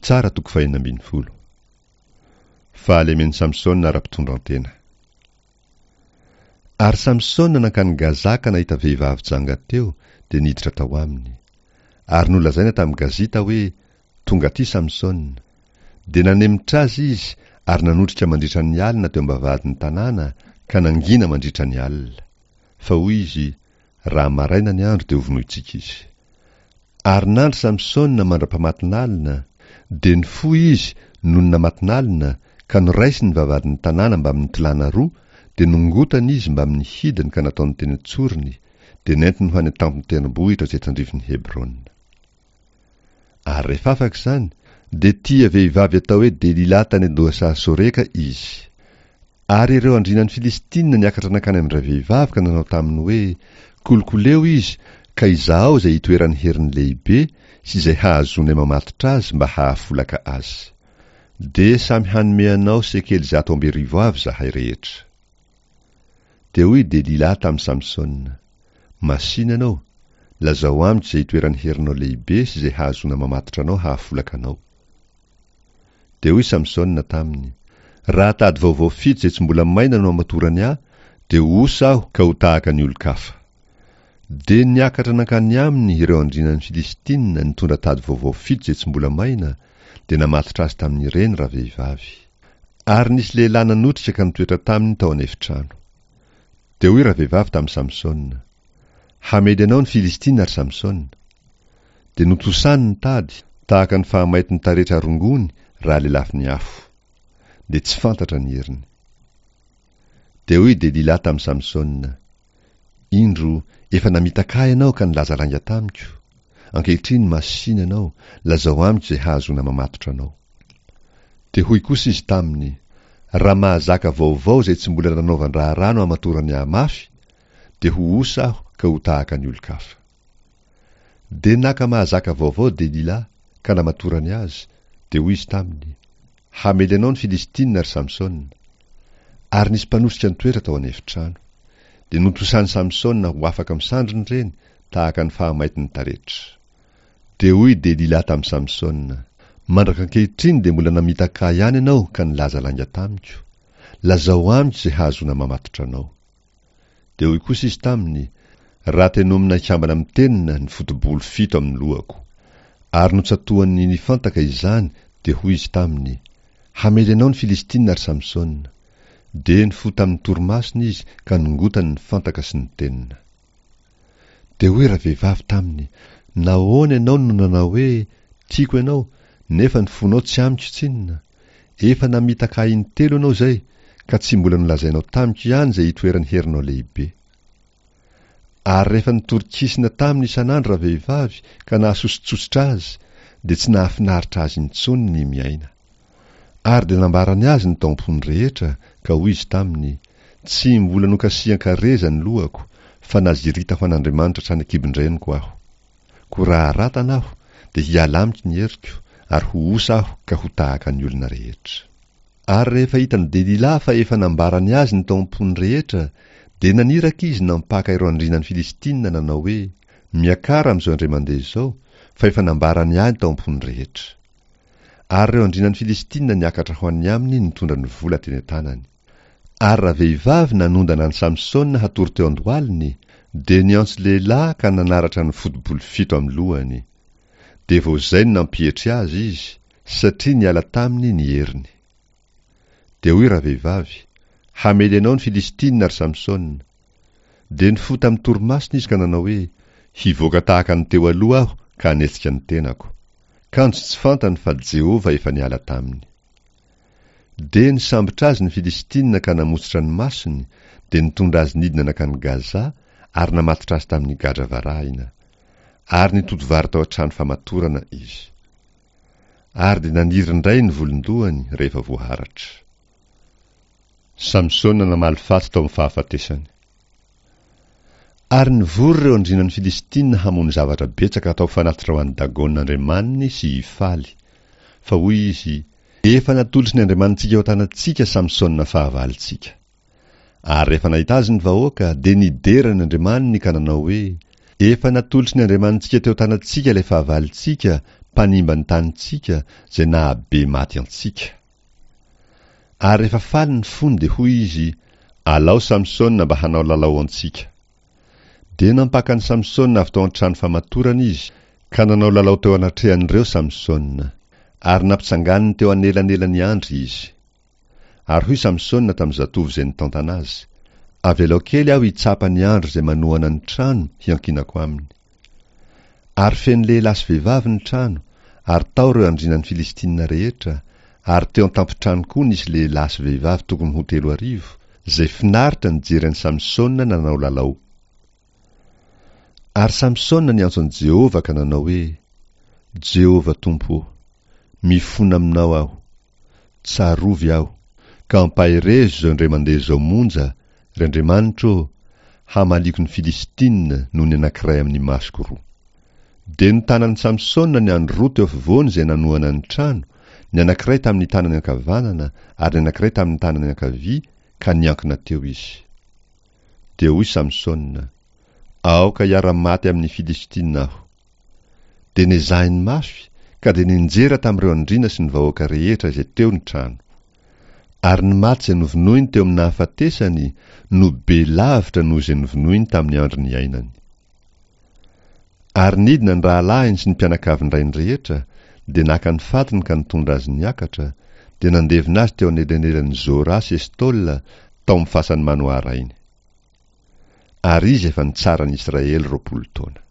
Mpitsara toko fahenina ambin'ny folo. Fahalemen'i Samsona ara-pitondran-tena. Ary Samsona nankany Gaza ka nahita vehivavy janga teo, dia niditra tao aminy. Ary nolazaina tamin'i Gazita hoe, Tonga aty Samsona. Dia nanemitra azy izy ary nanotrika mandritra ny alina teo am-bavahadin'ny tanàna, ka nangina mandritra ny alina. Fa hoy izy, Raha maraina ny andro dia hovonointsika izy. Ary nandry Samsona mandra-pamatin'alina, dia nifoha izy nony namatin'alina, ka noraisiny ny vavahadin'ny tanàna mbamin'ny tolàna roa, dia nongotany izy mbamin'ny hidiny ka nataony teny an-tsorony, dia nentiny ho any an-tampon-tendrombohitra izay tandrifin'i Hebrona. Ary rehefa afaka izany, dia tia vehivavy atao hoe Delila tany an-dohasaha Soreka izy. Ary ireo andrianan'ny Filistina niakatra nankany amin-dravehivavy ka nanao taminy hoe, Kolokoleo izy, ka izahao izay itoeran'ny heriny lehibe sy izay hahazoanay mamatotra azy mba hahafolaka azy. Dia samy hanome anao sekely 1100 avy izahay rehetra. Dia hoy Delila tamin'i Samsona, Masìna ianao, lazao amiko izay itoeran'ny herinao lehibe sy izay hahazoana mamatotra anao hahafolaka anao. Dia hoy Samsona taminy, Raha tady vaovao fito izay tsy mbola maina no amatorany ahy, dia ho osa aho ka ho tahaka ny olon-kafa. Dia niakatra nankany aminy ireo andrianan'ny Filistina nitondra tady vaovao fito izay tsy mbola maina, dia namatotra azy tamin'ireny ravehivavy. Ary nisy lehilahy nanotrika ka nitoetra taminy tao an'efitrano. Dia hoy ravehivavy tamin'i Samsona, Hamely anao ny Filistina, ry Samsona. Dia notosany ny tady, tahaka ny fahamaitin'ny taretra rongony raha lelafin'ny afo. Dia tsy fantatra ny heriny. Dia hoy Delila tamin'i Samsona, Indro, efa namitaka ahy ianao ka nilaza lainga tamiko. Ankehitriny masìna ianao, lazao amiko izay hahazoana mamatotra anao. Dia hoy kosa izy taminy, Raha mahazaka vaovao izay tsy mbola nanaovan-draharaha no hamatorany ahy mafy, dia ho osa aho ka ho tahaka ny olon-kafa. Dia naka mahazaka vaovao Delila ka namatorany azy, dia hoy izy taminy, Hamely anao ny Filistina, ry Samsona. Ary nisy mpanosika nitoetra tao an'efitrano. Dia notosan'i Samsona ho afaka amin'ny sandriny ireny, tahaka ny fahamaitin'ny taretra. Dia hoy Delila tamin'i Samsona, Mandraka ankehitriny dia mbola namitaka ahy ihany ianao ka nilaza lainga tamiko. Lazao amiko izay hahazoana mamatotra anao. Dia hoy kosa izy taminy, Raha tenomina hikambana amin'ny tenona ny foto-bolo fito amin'ny lohako. Ary notsatohan'ny nifantaka izany, dia hoy izy taminy, Hamely anao ny Filistina, ry Samsona. Dia nifoha tamin'ny torimasony izy ka nongotany ny fantaka sy ny tenona. Dia hoy ravehivavy taminy, Nahoana ianao no nanao hoe, 'Tiako ianao', nefa ny fonao tsy amiko tsinona? Efa namitaka ahy intelo ianao izay, ka tsy mbola nolazainao tamiko ihany izay itoeran'ny herinao lehibe. Ary rehefa nitorikisina taminy isan'andro ravehivavy ka nahasosotsotsotra azy, dia tsy nahafinaritra azy intsony ny miaina. Ary dia nambarany azy ny tao am-pony rehetra, ka hoy izy taminy, Tsy mbola nokasihan-kareza ny lohako, fa nazirita ho an'Andriamanitra hatrany an-kibon-dreniko aho. Koa raha haratana aho, dia hiala amiko ny heriko, ary ho osa aho ka ho tahaka ny olona rehetra. Ary rehefa hitan'i Delila fa efa nambarany azy ny tao am-pony rehetra, dia naniraka izy nampaka ireo andrianan'ny Filistina nanao hoe, Miakara amin'izao indray mandeha izao, fa efa nambarany ahy ny tao am-pony rehetra. Ary ireo andrianan'ny Filistina niakatra ho any aminy nitondra ny vola teny an-tanany. Ary ravehivavy nanondana an'i Samsona hatory teo an-dohaliny, dia niantso lehilahy ka nanaratra ny foto-bolo fito amin'ny lohany. Dia vao izay no nampietry azy izy, satria niala taminy ny heriny. Dia hoy ravehivavy, Hamely anao ny Filistina, ry Samsona. Dia nifoha tamin'ny torimasony izy ka nanao hoe, Hivoaka tahaka ny teo aloha aho ka hanetsika ny tenako. Kanjo tsy fantany fa Jehovah efa niala taminy. Dia nisambotra azy ny Filistina ka namotsitra ny masony, dia nitondra azy nidina nankany Gaza ary namatotra azy tamin'ny gadra varahina. Ary nitoto vary tao an-trano famatorana izy. Ary dia naniry indray ny volon-dohany rehefa voaharatra. Samsona namaly faty tao amin'ny fahafatesany. Ary nivory ireo andrianan'ny Filistina hamono zavatra betsaka hatao fanatitra ho an'i Dagona andriamaniny sy hifaly. Fa hoy izy, Efa natolotry ny andriamanitsika eo an-tanantsika Samsona fahavalontsika. Ary rehefa nahita azy ny vahoaka, dia nidera ny andriamaniny ka nanao hoe, Efa natolotry ny andriamanitsika teo an-tanantsika ilay fahavalontsika, mpanimba ny tanintsika, izay nahabe maty antsika. Ary rehefa faly ny fony dia hoy izy, Alao Samsona mba hanao lalao antsika. Dia nampaka an'i Samsona avy tao an-trano famatorana izy, ka nanao lalao teo anatrehan'ireo Samsona. Ary nampitsanganiny teo anelanelan'ny andry izy. Ary hoy Samsona tamin'ny zatovo izay nitantana azy, Avelao kely aho hitsapa ny andry izay manohana ny trano hiankinako aminy. Ary feno lehilahy sy vehivavy ny trano, ary tao ireo andrianan'ny Filistina rehetra, ary teo an-tampon-trano koa nisy lehilahy sy vehivavy tokony ho 3000, izay finaritra nijery an'i Samsona nanao lalao. Ary Samsona niantso an'i Jehovah ka nanao hoe, Jehovah Tompo ô, mifona aminao aho. Tsarovy aho, ka ampaherezo izao indray mandeha izao monja, ry Andriamanitro ô, hamaliako ny Filistina noho ny anankiray amin'ny masoko roa. Dia notanan'i Samsona ny andry roa teo afovoany izay nanohana ny trano, ny anankiray tamin'ny tanany ankavanana ary ny anankiray tamin'ny tanany ankavia, ka niankina teo izy. Dia hoy Samsona, Aoka hiara-maty amin'ny Filistina aho. Dia nezahiny mafy, ka dia nianjera tamin'ireo andriana sy ny vahoaka rehetra izay teo ny trano. Ary ny maty izay novonoiny teo amin'ny nahafatesany no be lavitra noho izay novonoiny tamin'ny andro niainany. Ary nidina ny rahalahiny sy ny mpianakavin-drainy rehetra, dia naka ny fatiny ka nitondra azy niakatra, dia nandevina azy teo anelanelan'i Zora sy Estola, tao amin'ny fasan'i Manoà rainy. Ary izy efa nitsara ny Israely 20 taona.